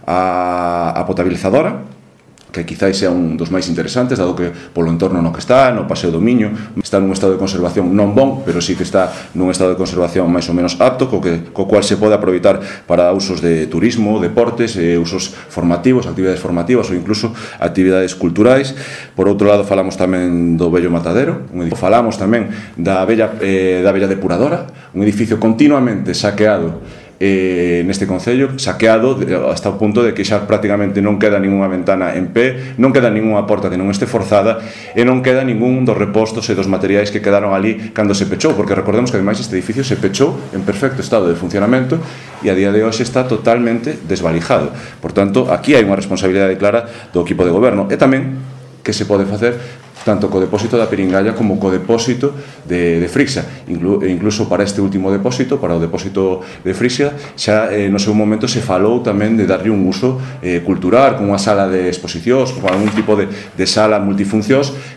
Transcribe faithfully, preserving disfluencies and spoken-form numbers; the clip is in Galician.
a, a potabilizadora, que quizáis sea un dos máis interesantes, dado que polo entorno no que está, no Paseo do Miño, está nun estado de conservación non bon, pero sí que está nun estado de conservación máis ou menos apto, co, que, co cual se pode aproveitar para usos de turismo, deportes, eh, usos formativos, actividades formativas ou incluso actividades culturais. Por outro lado, falamos tamén do Vello Matadero, un edificio, falamos tamén da Bella, eh, da Bella Depuradora, un edificio continuamente saqueado Eh, neste concello, saqueado hasta o punto de que xa prácticamente non queda ninguna ventana en pé, non queda ninguna porta que non este forzada e non queda ningún dos repostos e dos materiais que quedaron ali cando se pechou, porque recordemos que ademais este edificio se pechou en perfecto estado de funcionamento e a día de hoxe está totalmente desvalijado. Por tanto, aquí hai unha responsabilidade clara do equipo de goberno e tamén que se pode facer tanto co depósito da Piringalla como co depósito de, de Frisia. Inclu, incluso para este último depósito, para o depósito de Frisia, xa eh, no seu momento se falou tamén de darlle un uso eh, cultural, con unha sala de exposicións, con algún tipo de, de sala multifuncións que